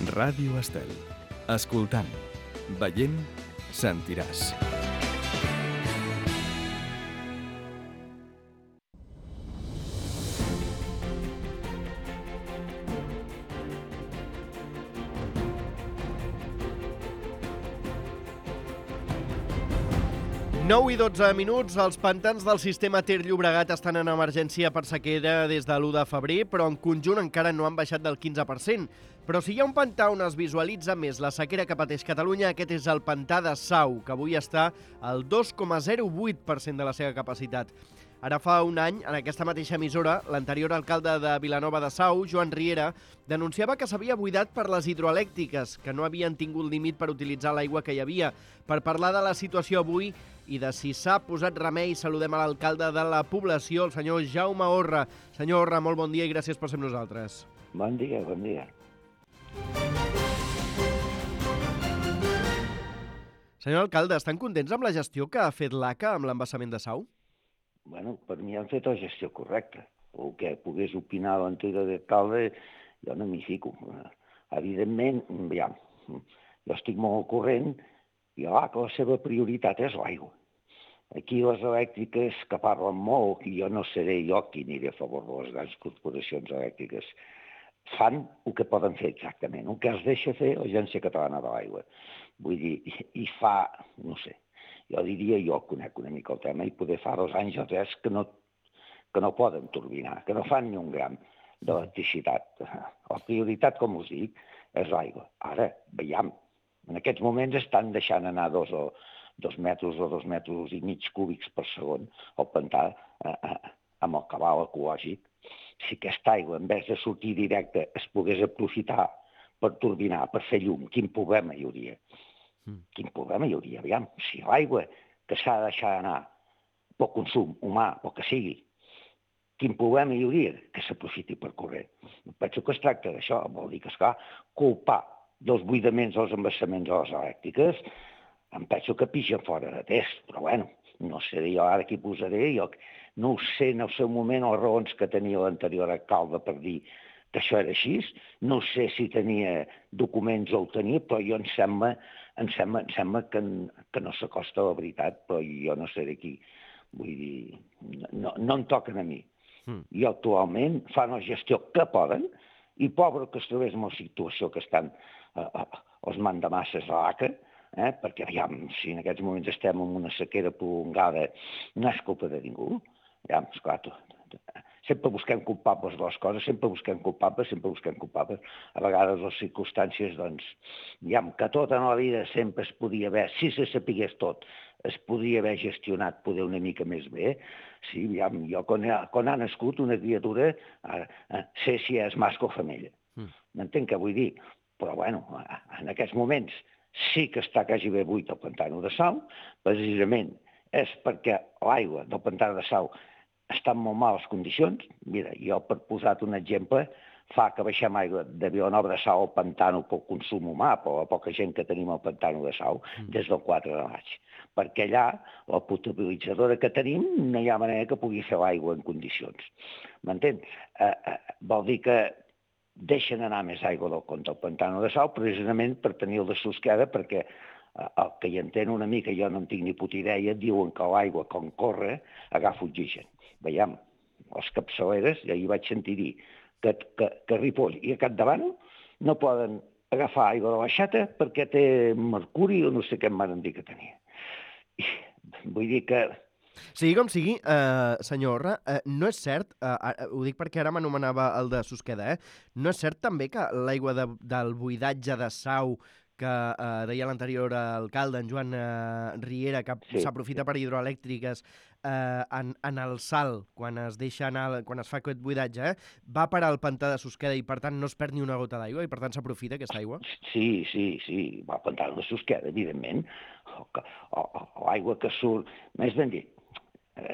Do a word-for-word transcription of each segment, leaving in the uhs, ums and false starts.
Ràdio Estel. Escoltant, veient, sentiràs. nou i dotze minuts, els pantans del sistema Ter Llobregat estan en emergència per sequera des de l'u de febrer, però en conjunt encara no han baixat del quinze per cent. Però si hi ha un pantà on es visualitza més la sequera que pateix Catalunya, aquest és el pantà de Sau, que avui està al dos coma zero vuit per cent de la seva capacitat. Ara fa un any, en aquesta mateixa emissora, l'anterior alcalde de Vilanova de Sau, Joan Riera, denunciava que s'havia buidat per les hidroelèctriques, que no havien tingut límit per utilitzar l'aigua que hi havia. Per parlar de la situació avui i de si s'ha posat remei, saludem a l'alcalde de la població, el senyor Jaume Orra. Senyor Orra, molt bon dia i gràcies per ser amb nosaltres. Bon dia, bon dia. Senyor alcalde, estan contents amb la gestió que ha fet l'A C A amb l'embassament de Sau? Bueno, per mi han fet la gestió correcta. El que pogués opinar l'anterior alcalde, jo no m'hi fico. Evidentment, ja, jo estic molt al corrent i l'A C A la seva prioritat és l'aigua. Aquí les elèctriques que parlen molt, i jo no seré jo qui aniré a favor de les grans corporacions elèctriques, fan el que poden fer exactament, el que es deixa fer l'Agència Catalana de l'Aigua. Vull dir, i fa, no sé, jo diria, jo conec una mica el tema, i poder fa dos anys o tres que no, que no poden turbinar, que no fan ni un gram d'electricitat. La prioritat, com us dic, és l'aigua. Ara, veiem, en aquests moments estan deixant anar dos, o, dos metres o dos metres i mig cúbics per segon al pantà eh, eh, amb el cabal ecològic. Si aquesta aigua, en vez de sortir directe, es pogués aprofitar per turbinar, per fer llum, quin problema hi hauria? Quin problema hi hauria? Aviam, si l'aigua que s'ha de deixar anar pel consum humà o que sigui, quin problema hi hauria que s'aprofiti per corrent? Penso que es tracta d'això, vol dir que, esclar, culpar dels buidaments dels embassaments a les elèctriques, em penso que pixen fora de test, però bueno, no seré jo ara qui posaré, jo no ho sé en el seu moment les raons que tenia l'anterior alcalde per dir que això era així, no sé si tenia documents o ho tenia, però jo em sembla, em sembla, em sembla que, que no s'acosta a la veritat, però jo no seré qui, vull dir, no, no em toquen a mi. Mm. I actualment fan la gestió que poden, i pobre que es trobés en la situació que estan eh, eh, els mandamasses a l'A C A, eh, perquè aviam, si en aquests moments estem en una sequera prolongada, no és culpa de ningú. Ja, esclar, sempre busquem culpables de les coses, sempre busquem culpables, sempre busquem culpables. A vegades les circumstàncies, doncs, diguem que tota la vida sempre es podia haver, si se sapigués tot, es podria haver gestionat poder una mica més bé. Sí, diguem, jo quan ha, quan ha nascut una criatura, eh, sé si és mascle o femella. Mm. M'entenc què vull dir? Però, bueno, en aquests moments sí que està quasi bé buit el pantà de Sau, precisament és perquè l'aigua del pantà de Sau està en molt males condicions. Mira, jo per posar-te un exemple, fa que baixem aigua de Vilanova de Sau al pantano pel consum humà, per la poca gent que tenim al pantano de Sau, des del quatre de maig. Perquè allà, la potabilitzadora que tenim, no hi ha manera que pugui fer l'aigua en condicions. M'entén? Eh, eh, vol dir que deixen anar més aigua del compte al pantano de Sau, precisament per tenir el de Susqueda, perquè el que hi entén una mica, jo no en tinc ni puta idea, diuen que l'aigua, quan corre, agafa oxigen. Veiem, les capçaleres, ja hi vaig sentir dir, que, que, que a Ripoll i a Capdavant no poden agafar aigua de l'aixeta perquè té mercuri o no sé què em van dir que tenia. I, vull dir que... Sigui com sigui, eh, senyor Orra, eh, no és cert, eh, ho dic perquè ara m'anomenava el de Susqueda, eh, no és cert també que l'aigua de, del buidatge de Sau que eh, deia l'anterior alcalde, en Joan eh, Riera, que sí, s'aprofita sí. per hidroelèctriques eh, en, en el salt, quan es deixa anar, quan es fa aquest buidatge, eh, va parar al pantà de Susqueda i, per tant, no es perd ni una gota d'aigua i, per tant, s'aprofita aquesta aigua? Sí, sí, sí, va al pantà de Susqueda, evidentment. L'aigua que surt, més ben dit,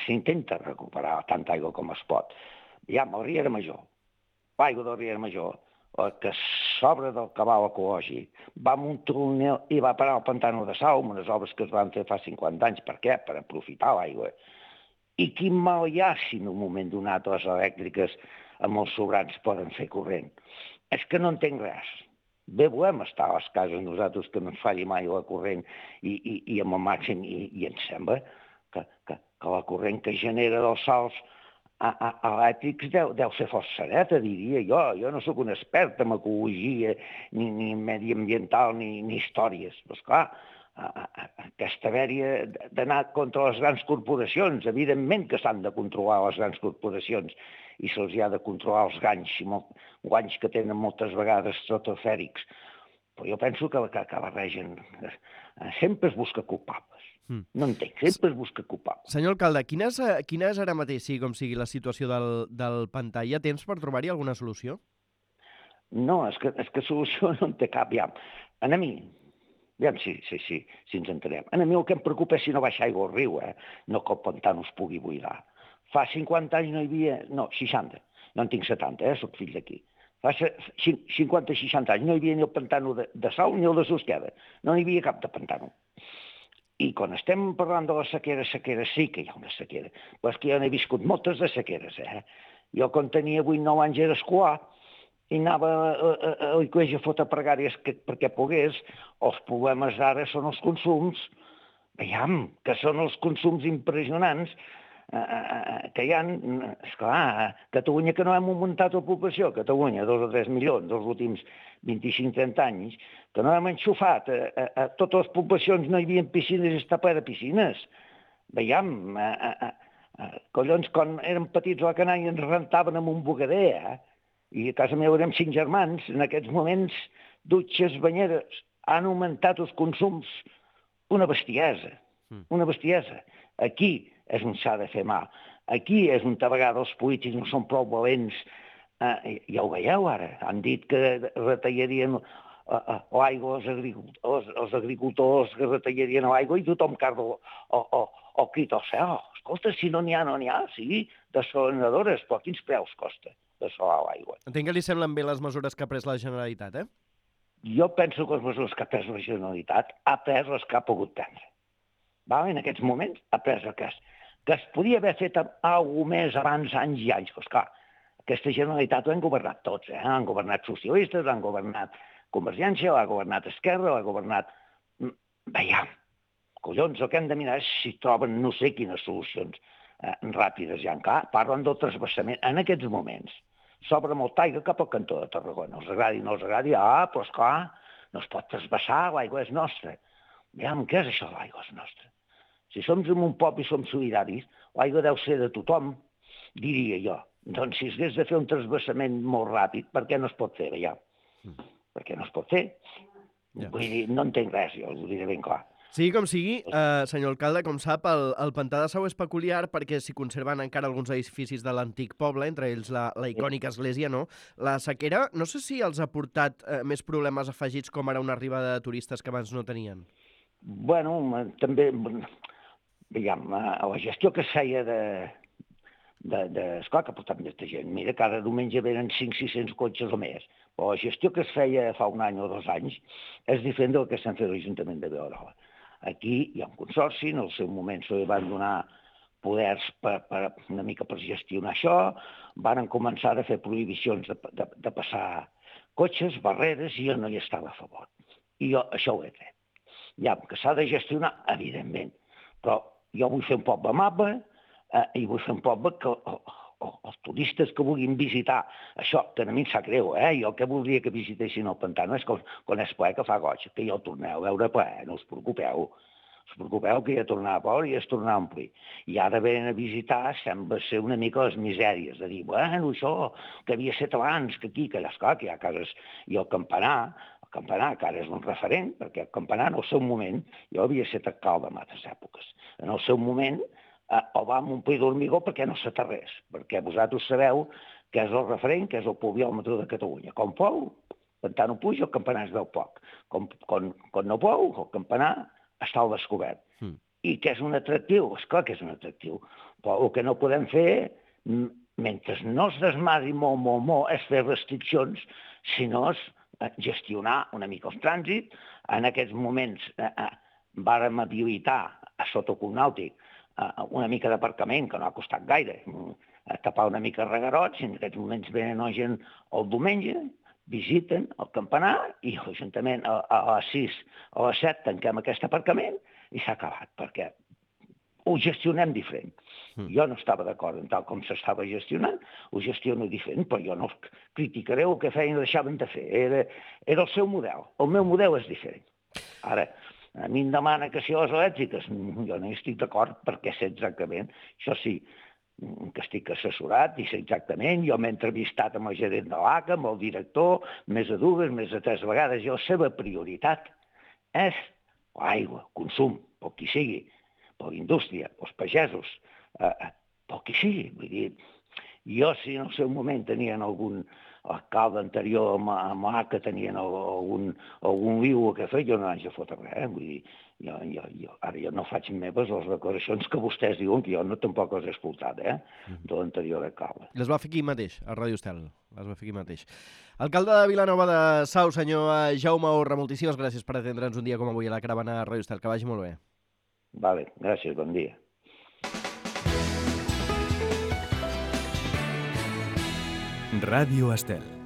s'intenta recuperar tanta aigua com es pot. Ja, amb el Riera Major, l'aigua del Riera Major, el que s'obre del cabal ecològic, va amb un túnel i va parar al pantano de Sau, amb unes obres que es van fer fa cinquanta anys. Per què? Per aprofitar l'aigua. I quin mal hi ha si en un moment donat les elèctriques amb els sobrants poden fer corrent? És que no entenc res. bé volem estar a les cases nosaltres que no ens falli mai la corrent i, i, i amb el màxim, i, i ens sembla que, que, que la corrent que genera dels salts a, a, elèctrics deu, deu ser força sereta, diria jo. Jo no sóc un expert en ecologia, ni, ni mediambiental, ni, ni històries. Però, esclar, a, a, aquesta dèria d'anar contra les grans corporacions, evidentment que s'han de controlar les grans corporacions i se'ls ha de controlar els ganys, i molt, guanys que tenen moltes vegades estratosfèrics. Però jo penso que, que, que barregen. Sempre es busca culpables. Mm. No entenc, sempre es busca culpables. Senyor alcalde, quina és, quina és ara mateix, sigui com sigui, la situació del, del pantà? Hi ha temps per trobar-hi alguna solució? No, és que, és que solució no en té cap, ja. A mi, aviam si, si, si, si ens entenem. A mi el que em preocupa és si no baixa aigua al riu, eh? No que el pantà no es pugui buidar. Fa cinquanta anys no hi havia... No, seixanta. No en tinc setanta, eh? Soc fill d'aquí. Fa cinquanta seixanta anys no hi havia ni el pantano de, de Sau ni el de Susqueda. No n'hi havia cap de pantano. I quan estem parlant de la sequera, sequera sí que hi ha una sequera. Però és que jo n'he viscut moltes de sequeres, eh? Jo quan tenia vuit nou anys era escolar i anava a, a, a l'església a fotre pregàries que, perquè pogués. Els problemes d'ara són els consums. Veiem que són els consums impressionants que hi ha, esclar, a Catalunya que no hem augmentat la població, a Catalunya, dos o tres milions dels últims vint-i-cinc trenta anys, que no hem enxufat, a, a, a totes les poblacions no hi havia piscines i està ple de piscines. Veiem, a, a, a, collons, quan érem petits a la canalla ens rentaven amb un bugader, eh? I a casa meva érem cinc germans, en aquests moments dutxes, banyeres, han augmentat els consums una bestiesa, una bestiesa. Aquí és on s'ha de fer mal. Aquí és on a vegades els polítics no són prou valents. Eh, ja ho veieu ara. Han dit que retallarien l'aigua als agricultors, els agricultors que retallarien l'aigua i tothom carda o, o, o crida al cel. Escolta, si no n'hi ha, no n'hi ha. Sí, desalinadores, però quins preus costa desalar l'aigua? Entenc que li semblen bé les mesures que ha pres la Generalitat, eh? Jo penso que les mesures que ha pres la Generalitat ha pres les que ha pogut prendre. Val? En aquests moments ha pres el cas. Que es podia haver fet alguna cosa més abans, anys i anys. Pues clar, aquesta Generalitat ho han governat tots, eh? Han governat socialistes, han governat Convergència, l'ha governat Esquerra, l'ha governat... Veiem, collons, el que hem de mirar és si troben no sé quines solucions eh, ràpides ja. Clar, parlen del transvasament. En aquests moments s'obre molta aigua cap al cantó de Tarragona. Els agradi o no els agradi, ah, però esclar, no es pot transvasar, l'aigua és nostra. Veiem, què és això, l'aigua és nostra? Si som en un poble i som solidaris, l'aigua deu ser de tothom, diria jo. Doncs si es hagués de fer un transvasament molt ràpid, per què no es pot fer, veiem? Mm. Per què no es pot fer? Ja. Vull dir, no entenc res, jo ho diré ben clar. Sigui com sigui, eh, senyor alcalde, com sap, el, el pantà de Sau és peculiar perquè s'hi conserven encara alguns edificis de l'antic poble, entre ells la, la icònica església, no? La sequera, no sé si els ha portat eh, més problemes afegits com ara una arribada de turistes que abans no tenien. Bueno, també... Veiem, la gestió que es feia de... de, de esclar, que portava molta gent. Mira, cada diumenge venen cinc o sis-cents cotxes o més. Però la gestió que es feia fa un any o dos anys és diferent del que estan fent l'Ajuntament de Vilarola. Aquí hi ha un consorci, en el seu moment se li van donar poders per, per, una mica per gestionar això, van començar a fer prohibicions de, de, de passar cotxes, barreres, i jo no hi estava a favor. I jo això ho he fet. Ja, que s'ha de gestionar, evidentment, però jo vull fer un poble amable eh, i vull fer un poble que oh, oh, els turistes que vulguin visitar, això que a mi em sap greu, eh? Jo que voldria que visitessin el pantà, no és com, quan és ple que fa goig, que ja el torneu a veure ple, no us preocupeu, us preocupeu que ja tornarà a veure i es tornarà a omplir. I ara venen a visitar, sembla ser una mica les misèries, de dir, bueno, això que havia set abans, que aquí, que allà, esclar, que hi ha cases, i el campanar, el campanar, que ara és un referent, perquè el campanar en el seu moment, jo havia estat alcalde en altres èpoques, en el seu moment eh, el vam omplir d'hormigó perquè no s'aterrés, perquè vosaltres sabeu que és el referent, que és el pluviòmetre de Catalunya. Com plou, el pantà no puja, el campanar es veu poc. Com, quan, quan no plou, el campanar està al descobert. Mm. I que és un atractiu, esclar que és un atractiu, però el que no podem fer, mentre no es desmadri molt, molt, molt, és fer restriccions, sinó és gestionar una mica el trànsit. En aquests moments eh, eh, vàrem habilitar a sota el nàutic eh, una mica d'aparcament, que no ha costat gaire, a tapar una mica regarots, i en aquests moments venen la gent el diumenge, visiten el campanar i l'Ajuntament a, a les sis, a les set tanquem aquest aparcament i s'ha acabat, perquè ho gestionem diferent. Mm. Jo no estava d'acord en tal com s'estava gestionant, ho gestiono diferent, però jo no criticaré el que feien i deixaven de fer. Era, era el seu model. El meu model és diferent. Ara, a mi em demana que si les elèctriques, jo no hi estic d'acord perquè sé exactament, això sí, que estic assessorat i sé exactament, jo m'he entrevistat amb el gerent de l'A C A, amb el director, més de dues, més de tres vegades, i la seva prioritat és l'aigua, consum, pel qui sigui, per la indústria, pels pagesos, eh, pel qui sigui. Vull dir, jo si en el seu moment tenien algun alcalde anterior amb, amb l'A C A, tenien algun, algun liu o què fer, jo no haig de fotre res, eh? Vull dir, jo, jo, jo, ara jo no faig meves les declaracions que vostès diuen, que jo no tampoc les he escoltat, eh, de l'anterior alcalde. Les va fer aquí mateix, a Ràdio Estel, les va fer aquí mateix. Alcalde de Vilanova de Sau, senyor Jaume Orra, moltíssimes gràcies per atendre'ns un dia com avui a la caravana a Ràdio Estel, que vagi molt bé. Vale, gràcies, bon dia. Ràdio Estel.